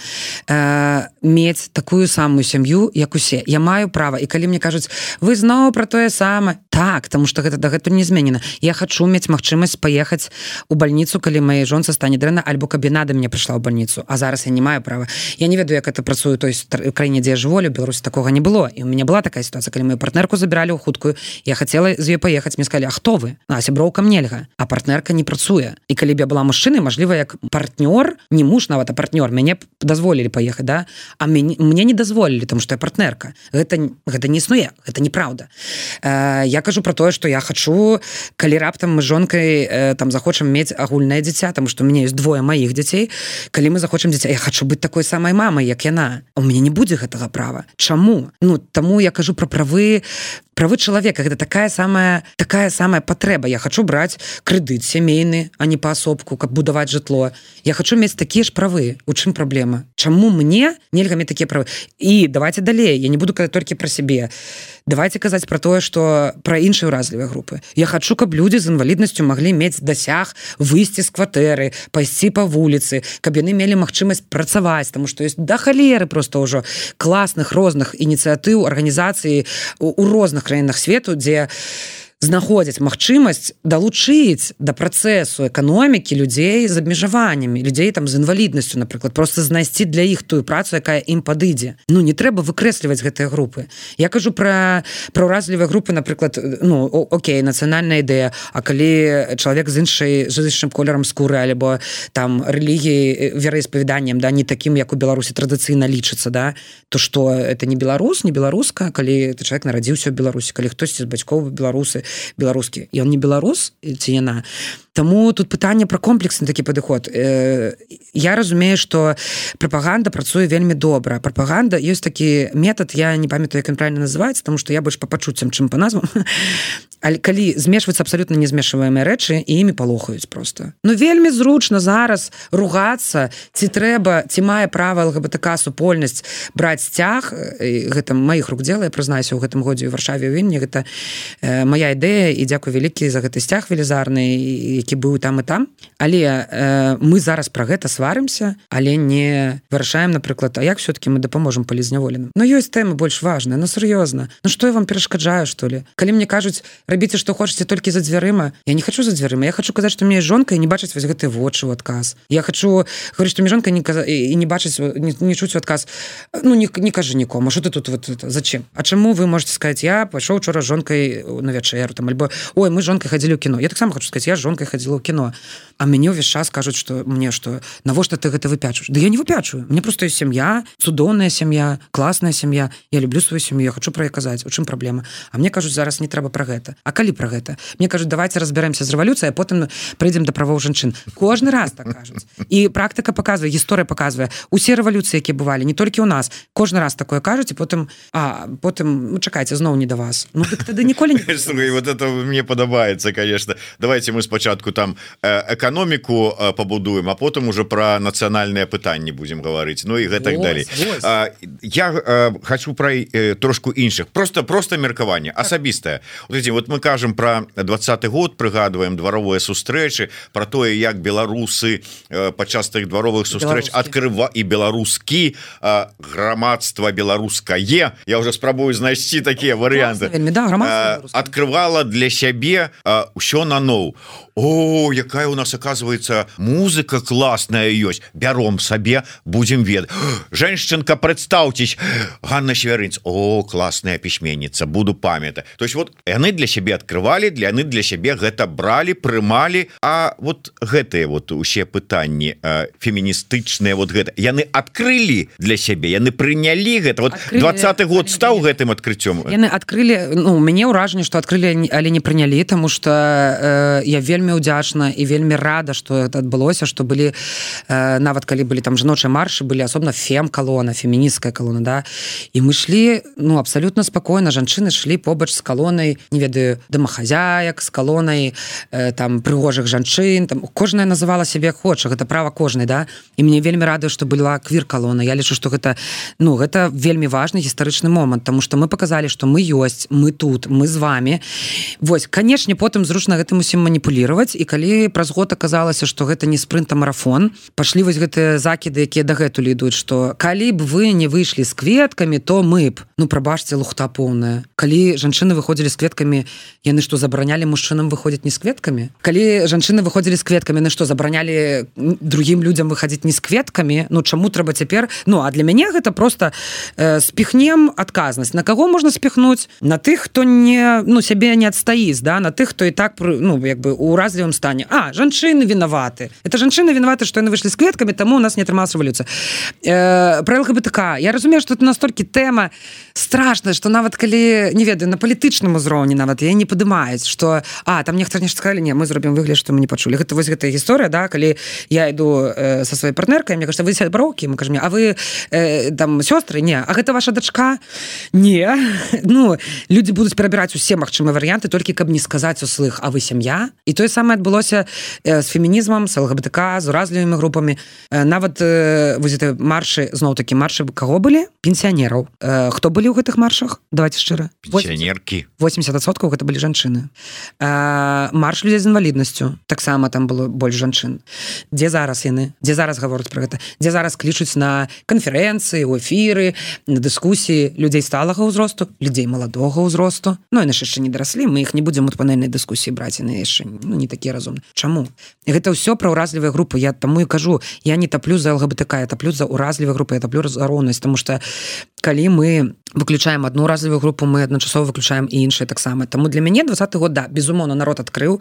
э, мець такую самую сям'ю, як усе. Я маю права. І калі мне кажуць, вы зноў пра тое самае, так, таму што гэта дагэтуль не зменена. Я хачу мець магчымасць паехаць у бальніцу, калі маёй жонцы стане дрэнна, альбо каб яна да мне прыйшла ў бальніцу. А зараз я не маю права. Я не ведаю, як это працуе той краіне, дзе я жыву, у Беларусі такога не было. І у мяне была такая сітуацыя, калі мою партнерку забіралі ў хуткую, я хацела з ёй паехаць, мне сказалі, а хто вы? А сяброўкам нельга, а партнерка не працуе. І калі б я была мужчынай, мажліва, як партнёр, не муж нават, а партнёр, мяне дазволілі паехаць, да? А мяне, мне не дазволілі, тому што я партнерка. Гэта, гэта не існуе, гэта неправда. Э, я кажу про тое, што я хачу, калі раптам мы з жонкай э, там захочам мець агульнае дзіця, тому што у мяне ёсць двое маіх дзяцей, калі мы захочам дзіця, я хачу быць такой самай мамай, як яна. А у мяне не будзе гэтага права. Чаму? Ну, таму я кажу про правы правы чалавека, гэта такая самая такая самая патрэба. Я хачу браць крэдыт сямейны, а не паасобку, каб будаваць жытло. Я хачу мець такія ж правы. У чым праблема? Чаму мне нельга мець такія правы? І давайте далей, я не буду казаць толькі пра сябе. Давайте казаць пра тое, што пра іншыя ўразлівыя групы. Я хачу, каб людзі з інваліднасцю маглі мець дасяг выйсці з кватэры, пайсці па вуліцы, каб яны мелі магчымасць працаваць, таму што ёсць да халеры проста ўжо класных розных ініцыятыў, арганізацый у, у розных краінах свету, дзе знаходзяць магчымасць далучыць да працэсу эканомікі людзей з абмежаваннямі, людзей там з інваліднасцю, напрыклад, просто знайсці для іх тую працу, якая ім падыдзе. Ну, не трэба выкрэсліваць гэтыя групы. Я кажу пра, пра ўразлівыя групы, напрыклад, ну, окей, нацыянальная ідэя, а калі чалавек з іншай, з іншым колерам скуры, альбо там рэлігіі, вераіспавяданнем, да, не такім, як у Беларусі традыцыйна лічыцца, да, то што это не беларус, не беларуска, калі чалавек нарадзіўся ў Беларусі, калі хтосьці з бацькоў беларусы, беларускі, і он не беларус ці яна. Таму тут пытанне пра комплексны такі падыход. Я разумею, што прапаганда працуе вельмі добра. Прапаганда, ёсць такі метад, я не памятаю, як ён правильно называецца, таму што я больш па пачуццям, чым па назвам. Але калі змешваюцца абсалютна не змешваемыя рэчы, і імі палохаюць проста. Ну вельмі зручна зараз ругацца, ці трэба, ці мае права ЛГБТК супольнасць браць сцяг, гэта маіх рук дзела, я прызнаюся, у гэтым годзе ў Варшаве ў Вільні, гэта моя ідэя, і дзякуй вялікі за гэты сцяг велізарны, які быў там і там, але э, мы зараз пра гэта сварымся, але не вырашаем, напрыклад, а як все-таки мы дапаможам палізняволеным. Ну ёсць тэмы больш важныя, ну сур'ёзна. Ну што я вам перашкаджаю, што ли? Калі мне кажуць, рабіце што хочаце толькі за дзвярыма, я не хочу за дзвярыма, я хочу казаць, што мне жонка і не бачыць вось гэтыя вочы ў адказ. Я хочу говорить, што мне жонка не каза... і не бачыць, не, не чуць у адказ. Ну не, не кажы нікому, што ты тут вот это, зачем? А чаму вы можете сказаць, я пайшоў учора з жонкай на вячэру там, альбо ой, мы з жонкай хадзілі ў кіно. Я таксама хочу сказаць, я з жонкай хадзіла ў кіно. А мяне ўвесь час кажуць, што мне што, навошта ты гэта выпячваеш? Да я не выпячваю. Мне просто ёсць сям'я, цудоўная сям'я, класная сям'я. Я люблю сваю сям'ю, я хочу пра яе казаць. У чым праблема? А мне кажуць, зараз не трэба пра гэта. А калі пра гэта? Мне кажуць, давайте разбярэмся з рэвалюцыяй, а потым прыйдзем да правоў жанчын. Кожны раз так кажуць. І практыка паказвае, гісторыя паказвае. Усе рэвалюцыі, якія бывалі, не толькі ў нас. Кожны раз такое кажуць, і потым, а потым, ну чакайце, зноў не да вас. Ну дык тады ніколі не. Слухай, вот это мне падабаецца, конечно. Давайте мы спачатку там эканоміку пабудуем, а потым уже пра нацыянальныя пытанні будзем гаварыць. Ну і гэтак далей. Я хочу пра трошку іншых. Просто просто меркаванне асабістае. Вот, вот мы кажам пра двадцаты год, прыгадваем дваровыя сустрэчы, пра тое, як беларусы падчас тых дваровых сустрэч адкрыва і беларускі грамадства беларускае. Я уже спрабую знайсці такія варыянты. Да, открывала для сябе ўсё наноў. О, якая у нас оказывается музыка классная ёсць, бяром сабе, будем ведаць. Женщинка, представьтесь, Ганна Северынц. О, классная пісьменніца, буду памятаць. То есть вот яны для сябе открывали, для яны для сябе гэта брали, прымалі. А вот гэтыя вот усе пытанні э, феміністычныя, вот гэта яны открыли для сябе, яны прынялі гэта. Вот двадцаты год стаў гэтым адкрыццём. Яны открыли, ну, мне ўражанне, што открыли, але не прынялі, тому что э, я вельмі удзячна і вельмі рада, што это адбылося, што былі э, нават калі былі там жаночыя маршы, былі асобна фем-калона, фемінісцкая калона, да, і мы шлі, ну, абсалютна спакойна, жанчыны шлі побач з калонай, не ведаю, домахазяек, з калонай э, там прыгожых жанчын, там кожная называла сябе хоча, гэта права кожнай, да, і мне вельмі радуе, што была квір-калона. Я лічу, што гэта, ну, гэта вельмі важны гістарычны момант, тому што мы показалі, што мы ёсць, мы тут, мы з вами. Вось, канешне, потым зручна гэтым усім маніпулировать. І калі праз год аказалася, што гэта не спрынт, а марафон, пашлі вось гэтыя закіды, якія дагэтуль ідуць, што калі б вы не выйшлі з кветкамі, то мы б, ну прабачце, лухта поўная. Калі жанчыны выходзілі з кветкамі, яны што, забаранялі мужчынам выходзіць не з кветкамі? Калі жанчыны выходзілі з кветкамі, яны што, забаранялі другім людзям выходзіць не з кветкамі? Ну чаму трэба цяпер? Ну а для мяне гэта просто э, спіхнем адказнасць. На каго можна спіхнуць? На тых, хто не, ну, сябе не адстаіць, да? На тых, хто і так, ну, як бы у разлівым стане. А, жанчыны вінаваты. Это жанчыны вінаваты, што яны выйшлі з кветкамі, таму у нас не атрымалася рэвалюцыя. Э, пра ЛГБТК. Я разумею, што это настолькі тэма страшная, што нават калі, не ведаю, на палітычным узроўні нават я не падымаюць, што а, там нехта нешта сказалі, не, мы зробім выгляд, што мы не пачулі. Гэта вось гэтая гісторыя, да, калі я іду э, са сваёй партнеркай, мне кажа, вы сяброўкі, мы кажам, а вы э, там сёстры? Не. А гэта ваша дачка? Не. Ну, людзі будуць перабіраць усе магчымыя варыянты, толькі каб не сказаць услых, а вы сям'я? І тое самае адбылося з фемінізмам, з ЛГБТК, з уразлівымі групамі. Нават вось гэты маршы, зноў-такі маршы каго былі? Пенсіянераў. Хто былі ў гэтых маршах? Давайте шчыра. Пенсіянеркі. восемьдесят адсоткаў гэта былі жанчыны. Марш людзей з інваліднасцю. Таксама там было больш жанчын. Дзе зараз яны? Дзе зараз гавораць пра гэта? Дзе зараз клічуць на канферэнцыі, у эфіры, на дыскусіі людзей сталага ўзросту, людзей маладога ўзросту? Ну, яны яшчэ не дараслі, мы іх не будзем у панельнай дыскусіі браць, яны яшчэ, ну, не такія разумныя. Чаму? Гэта ўсё пра ўразлівыя групы. Я таму і кажу, я не таплю за ЛГБТК, я таплю за ўразлівыя групы, я таплю за роўнасць, таму што калі мы выключаем одну уразлівую групу, мы адначасова выключаем і іншыя таксама. Таму для мяне двадцаты год, да, безумоўна, народ адкрыў,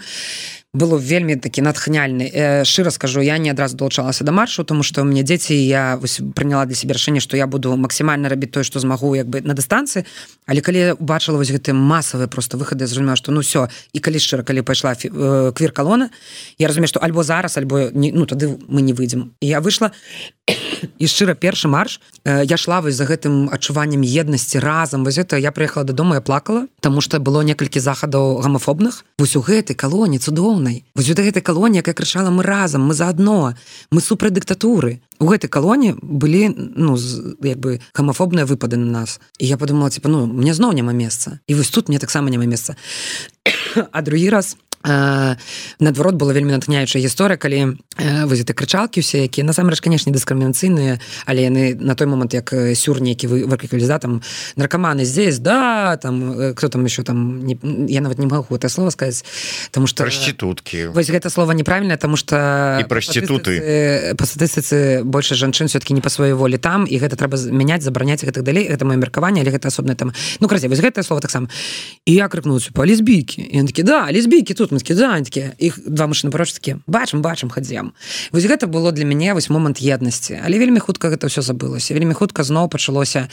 было вельмі такі натхняльны. Э, шчыра скажу, я не адразу далучалася да маршу, тому што у мяне дзеці, я вось прыняла для сябе рашэнне, што я буду максімальна рабіць тое, што змагу, як бы на дыстанцыі, але калі я убачыла вось гэтыя масавыя просто выхады, я зразумела, што ну ўсё, і калі шчыра, калі пайшла э, квір-калона, я разумею, што альбо зараз, альбо не, ну тады мы не выйдзем. І я выйшла і шчыра першы марш, э, я шла вось за гэтым адчуваннем еднасці разам, вось гэта я прыехала дадому, я плакала, таму што было некалькі захадаў гамафобных. Вось у гэтай калоне цудоўнай, вось у гэтай калоне, якая крычала мы разам, мы заадно, мы супраць дыктатуры. У гэтай калоне былі, ну, як бы гамафобныя выпады на нас. І я подумала, типа, ну, мне зноў няма месца. І вось тут мне таксама няма месца. А другі раз наадварот была вельмі натхняючая гісторыя, калі вось гэты крычалкі ўсе, якія насамрэч, канешне, дыскрымінацыйныя, але яны на той момант, як сюр нейкі выклікалі, да, там наркоманы здесь, да, там кто там еще там, не, я нават не могу это слово сказаць, тому что праституткі. Вось гэта слово неправільнае, тому что і праституты па статыстыцы больше жанчын все-таки не па сваёй волі там, і гэта трэба мяняць, забараняць і гэтак далей. Гэта маё меркаванне, але гэта асобнае там. Ну, карацей, вось гэтае слово таксама. І я крыкнуў па лесбійкі. І ён такі: "Да, лесбійкі тут". Мы такі: "Да", такі. Іх два мужчыны пароч такі: "Бачым, бачым, хадзем". Вось гэта было для мяне вось момант еднасці. Але вельмі хутка гэта ўсё забылося. Вельмі хутка зноў пачалося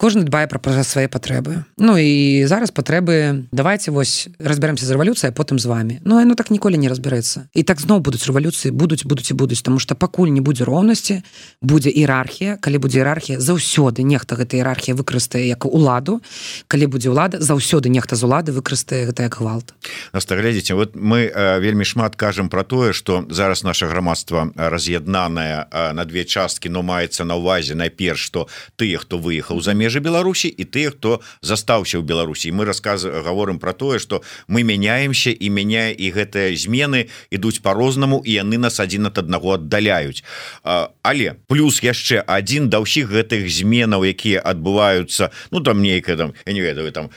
кожны дбае пра свае патрэбы. Ну і зараз патрэбы, давайте вось разбярэмся з рэвалюцыяй, а потым з вами. Ну яно так ніколі не разбярэцца. І так зноў будуць рэвалюцыі, будуць, будуць і будуць, таму што пакуль не будзе роўнасці, будзе іерархія. Калі будзе іерархія, заўсёды нехта гэта іерархія выкарыстае як уладу. Калі будзе ўлада, заўсёды нехта з улады выкарыстае гэта як гвалт. Наста, глядзіце, вот мы э, вельмі шмат кажам пра тое, што зараз наша грамадства раз'яднанае э, на две часткі, но маецца на ўвазе найперш, што тыя, хто выехаў за межы Беларусі, і тыя, хто застаўся ў Беларусі. Мы расказ гаворым пра тое, што мы мяняемся і мяняе, і гэтыя змены ідуць по-рознаму, і яны нас адзін ад аднаго аддаляюць. Але плюс яшчэ адзін да ўсіх гэтых зменаў, якія адбываюцца, ну там нейкая там, я не ведаю, там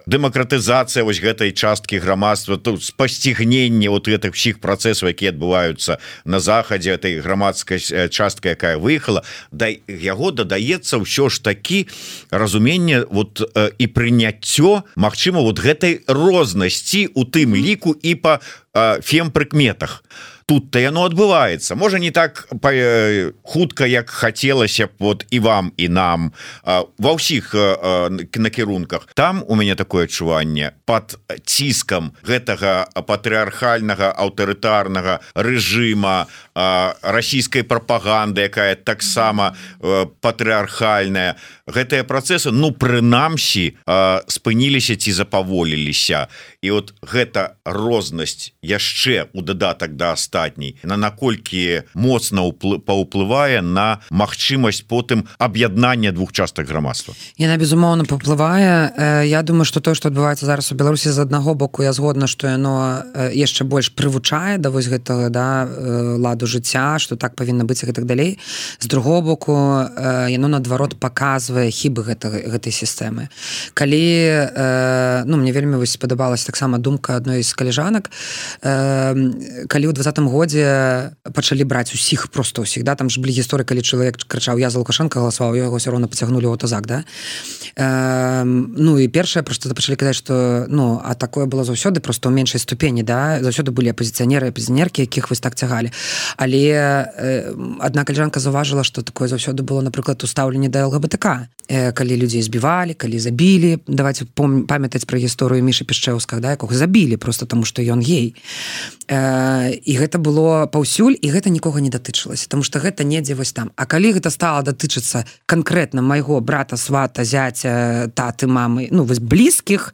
дэмакратызацыя вось гэтай часткі грамадства, тут спасцігненне вот гэтых усіх працэсаў, якія адбываюцца на захадзе, этой грамадскай частка, якая выехала, да яго дадаецца ўсё ж такі разуменне вот э, і прыняццё, магчыма, вот гэтай рознасці у тым ліку і па э, фемпрыкметах. Тут-то яно адбываецца, можа не так э, хутка, як хацелася б вот і вам і нам э, ва ўсіх э, накірунках. Там у мяне такое адчуванне пад ціскам гэтага патрыархальнага аўтарытарнага рэжыма, э, расійскай прапаганды, якая таксама э, патрыархальная. Гэтыя працэсы, ну прынамсі э, спыніліся ці запаволіліся. І вот гэта рознасць яшчэ у дадатак да астатняй, на наколькі моцна паўплывае на магчымасць потым аб'яднання двух частак грамадства. Яна безумоўна паўплывае. Я думаю, што тое, што адбываецца зараз у Беларусі, з аднаго боку я згодна, што яно яшчэ больш прывучае да вось гэтага, да, ладу жыцця, што так павінна быць і гэтак далей. З другого боку яно наадварот паказвае хібы гэтай, гэтай сістэмы. Калі, ну, мне вельмі вось спадабалася таксама думка адной з калежанак, калі ў двадцатым годзе пачалі браць усіх, проста ўсіх, да, там ж былі гісторыі, калі чалавек крычаў: "Я за Лукашенка галасаваў", яго ўсё роўна пацягнулі ў аўтазак, да. Ну і першае, проста пачалі казаць, што, ну, а такое было заўсёды, проста ў меншай ступені, да, заўсёды былі апазіцыянеры, апазіцыянеркі, якіх вось так цягалі. Але адна калежанка заўважыла, што такое заўсёды было, напрыклад, у стаўленні да ЛГБТК, калі людзей збівалі, калі забілі. Давайте памятаць пра гісторыю Мішы Пішчэўскага, да, якога забілі просто таму, што ён гей. І гэта было паўсюль, і гэта нікога не датычылася, таму што гэта недзе вось там. А калі гэта стала датычыцца канкрэтна майго брата, свата, зяця, таты, мамы, ну вось блізкіх,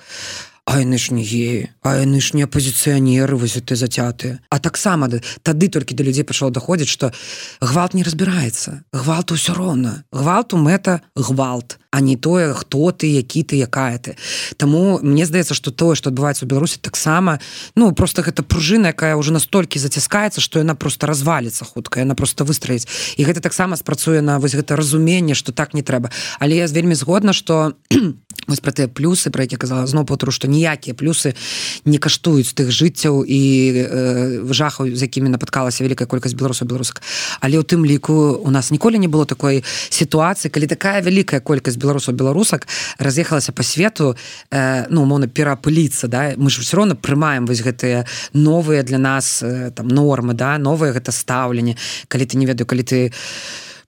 а яны ж не геі, а яны ж не апозіцыянеры, вось ты зацятыя. А таксама тады толькі да людзей пачало даходзіць, што гвалт не разбіраецца. Гвалту ўсё роўна. Гвалту мэта гвалт, а не тое, хто ты, які ты, якая ты. Таму мне здаецца, што тое, што адбываецца ў Беларусі, таксама, ну, просто гэта пружына, якая ўжо настолькі заціскаецца, што яна просто разваліцца хутка, яна просто выстраіць. І гэта таксама спрацуе на вось гэта разуменне, што так не трэба. Але я вельмі згодна, што вось пра тыя плюсы, пра які казала зноў паўтору, што ніякія плюсы не каштуюць тых жыццяў і э, жахаў, з якімі напаткалася вялікая колькасць беларусаў, беларусак. Але ў тым ліку у нас ніколі не было такой сітуацыі, калі такая вялікая колькасць беларусаў, беларусак раз'ехалася па свету, э, ну, умоўна, пераапыліцца, да? Мы ж ўсё роўна прымаем вось гэтыя новыя для нас э, там нормы, да? Новыя гэта стаўленне. Калі ты, не ведаю, калі ты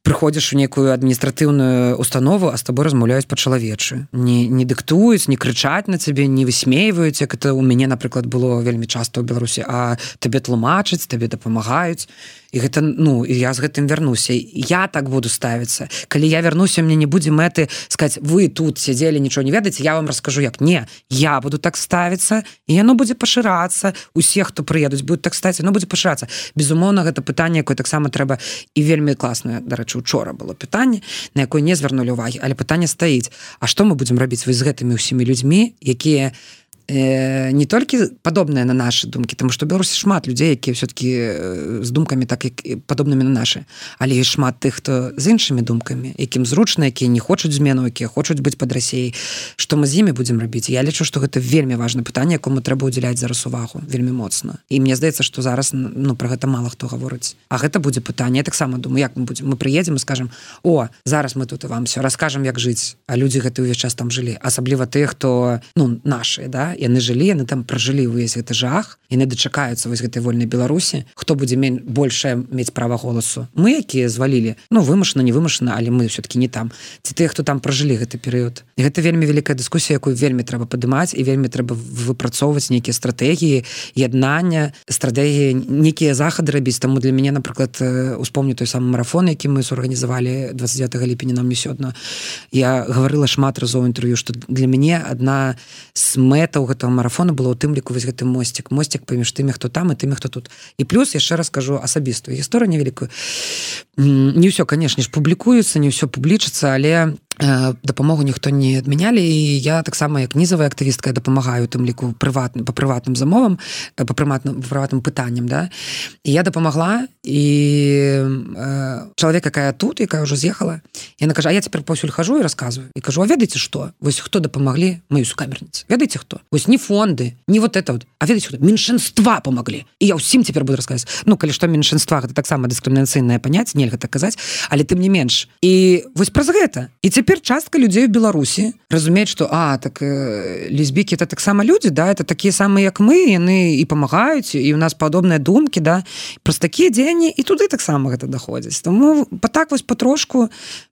прыходзіш у нейкую адміністратыўную установу, а з табой размаўляюць па-чалавечы. Не, не дыктуюць, не крычаць на цябе, не высмейваюць, як это у мяне, напрыклад, было вельмі часта ў Беларусі, а табе тлумачаць, табе дапамагаюць. І гэта, ну, і я з гэтым вярнуся. Я так буду ставіцца. Калі я вярнуся, мне не будзе мэты сказаць: вы тут сядзелі, нічого не ведаеце, я вам раскажу як. Не, я буду так ставіцца, і яно будзе пашырацца. Усе, хто прыедуць, будуць так ставіцца, яно будзе пашырацца. Безумоўна, гэта пытанне, якое таксама трэба, і вельмі класнае, дарэчы, учора было пытанне, на якое не звярнулі ўвагі, але пытанне стаіць: а што мы будзем рабіць вось з гэтымі ўсімі людзьмі, якія э, не толькі падобныя на нашы думкі, тому што Беларусі шмат людзей, якія все-таки з думкамі так як падобнымі на нашы, але ёсць шмат тых, хто з іншымі думкамі, якім зручна, якія не хочуць змену, якія хочуць быць пад Расіяй. Што мы з імі будзем рабіць? Я лічу, што гэта вельмі важнае пытанне, якому трэба ўдзяляць зараз увагу вельмі моцна. І мне здаецца, што зараз ну пра гэта мала хто гаворыць. А гэта будзе пытанне. Я таксама думаю, як мы будзем? Мы прыедзем і скажам: "О, зараз мы тут і вам все раскажам, як жыць". А людзі гэты ўвесь час там жылі, асабліва тыя, хто ну нашыя, да, яны жылі, яны там пражылі ўвесь гэты жах, яны дачакаюцца вось гэтай вольнай Беларусі. Хто будзе мець большае мець права голасу? Мы, якія звалілі, ну вымушана, не вымушана, але мы все-таки не там. Ці тыя, хто там пражылі гэты перыяд. І гэта вельмі вялікая дыскусія, якую вельмі трэба падымаць і вельмі трэба выпрацоўваць нейкія стратэгіі, яднання, стратэгіі, нейкія захады рабіць. Таму для мяне, напрыклад, успомню той самы марафон, які мы зорганізавалі двадцать девятого ліпеня нам не сёдна. Я гаварыла шмат разоў інтэрв'ю, што для мяне адна з мэтаў гэтага марафона была ў тым ліку вось гэты мосцік, мосцік паміж тымі, хто там і тымі, хто тут. І плюс яшчэ раз кажу асабістую гісторыю невялікую. Не ўсё, канешне ж, публікуецца, не ўсё публічыцца, але дапамогу ніхто не адмянялі, і я таксама як нізавая актывістка дапамагаю тым ліку прыватным па прыватным замовам, па прыватным прыватным пытанням, да. І я дапамагла, і э, чалавек, якая тут, якая ўжо з'ехала, яна кажа: "А я цяпер паўсюль хожу і расказваю". І кажу: "А ведаеце што? Вось хто дапамаглі маёй сукамерніцы? Ведаеце хто? Вось не фонды, не вот это вот, а ведаеце хто? Меншинства памаглі". І я ўсім цяпер буду расказваць. Ну, калі што меншинства, гэта таксама дыскрымінацыйнае паняцце, нельга так казаць, але тым не менш. І вось праз гэта. І цяпер частка людзей у Беларусі разумеюць, што а, так э, лесбікі это таксама людзі, да, это такія самыя, як мы, яны і памагаюць, і у нас падобныя думкі, да, праз такія дзеянні, і туды таксама гэта даходзіць. Таму па так вось патрошку,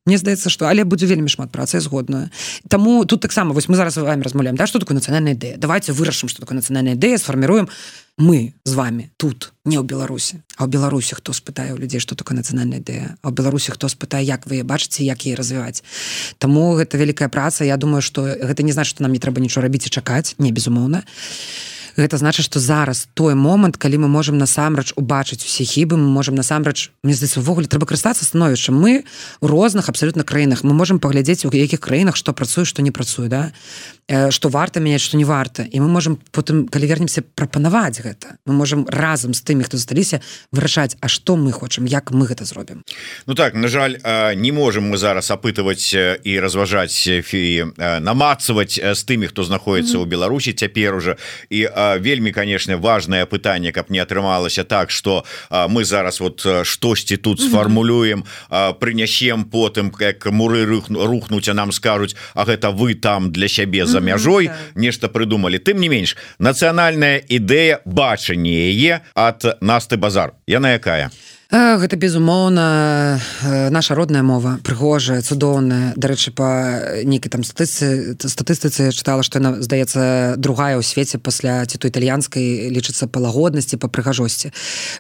мне здаецца, што але будзе вельмі шмат працы, згодная. Таму тут таксама вось мы зараз з вами размаўляем, да, што такое нацыянальная ідэя. Давайте вырашым, што такое нацыянальная ідэя, сфарміруем мы з вами тут, не ў Беларусі. А ў Беларусі хто спытае ў людзей, што такое нацыянальная ідэя? А ў Беларусі хто спытае, як вы бачыце, як яе развіваць? Таму гэта вялікая праца. Я думаю, што гэта не значыць, што нам не трэба нічого рабіць і чакаць, не, безумоўна. Гэта значыць, што зараз той момант, калі мы можам насамрэч убачыць усе хібы, мы можам насамрэч, мне здаецца, увогуле трэба карыстацца становішчам. Мы у розных абсалютна краінах, мы можам паглядзець, у якіх краінах што працуе, што не працуе, да? Што варта мяняць, што не варта. І мы можам потым, калі вернемся, прапанаваць гэта. Мы можам разам з тымі, хто засталіся, вырашаць, а што мы хочам, як мы гэта зробім. Ну так, на жаль, не можам мы зараз апытаваць і разважаць і намацаваць з тымі, хто знаходіцца ў Беларусі цяпер уже. І вельмі, конечно, важное пытанне, каб не атрымалася так, что мы зараз вот штосьці тут сфармулюем, прынясем потым, как муры рухнуць, а нам скажуць: а гэта вы там для сябе за мяжой нешта прыдумалі. Тым не менш, нацыянальная ідэя, бачанне яе ад Насты Базар. Яна якая? Гэта, безумоўна, наша родная мова, прыгожая, цудоўная. Дарэчы, па нейкай там статыстыцы, статыстыцы чытала, што яна, здаецца, другая ў свеце пасля ці то італьянскай, лічыцца па лагоднасці, па прыгажосці.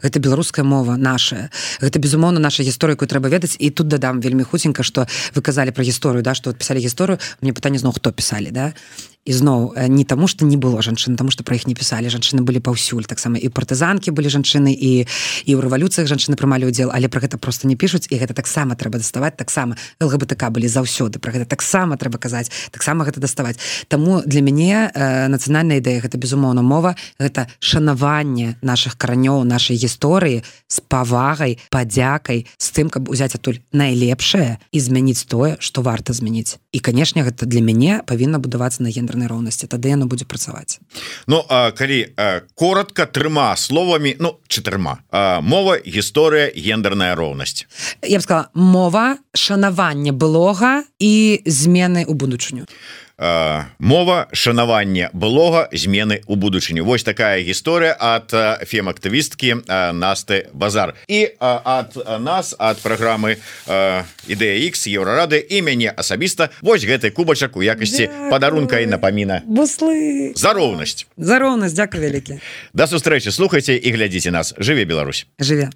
Гэта беларуская мова, нашая. Гэта, безумоўна, наша гісторыя, якую трэба ведаць. І тут дадам вельмі хуценька, што вы казалі пра гісторыю, да, што пісалі гісторыю. Мне пытанне зноў, хто пісалі, да? І зноў, не таму, што не было жанчын, таму, што пра іх не пісалі. Жанчыны былі паўсюль. Таксама і партызанкі былі жанчыны, і, і ў рэвалюцыях жанчыны прымалі ўдзел, але пра гэта проста не пішуць, і гэта таксама трэба даставаць, таксама ЛГБТК былі заўсёды, пра гэта таксама трэба казаць, таксама гэта даставаць. Таму для мяне э, нацыянальная ідэя, гэта, безумоўна, мова, гэта шанаванне нашых каранёў, нашай гісторыі з павагай, падзякай, з тым, каб узяць адтуль найлепшае і змяніць тое, што варта змяніць. І, канешне, гэта для мяне павінна будавацца на гендернай роўнасці, тады яно будзе працаваць. Ну, а, калі а, коротка, трыма словамі, ну, чатырма. А, мова, гісторыя, гендерная роўнасць. Я б сказала, мова, шанаванне былога і змены ў будучыню. Uh, мова, шанаванне былога, змены ў будучыню. Вось такая гісторыя ад uh, фем-актывісткі uh, Насты Базар. І uh, ад uh, нас, ад праграмы uh, Ідэя Ікс, Еўрарады і мяне асабіста вось гэты кубачак у якасці падарунка і напаміна. Буслы. За роўнасць. За роўнасць, дзякуй вялікі. Да сустрэчы, слухайце і глядзіце нас. Жыве Беларусь. Жыве.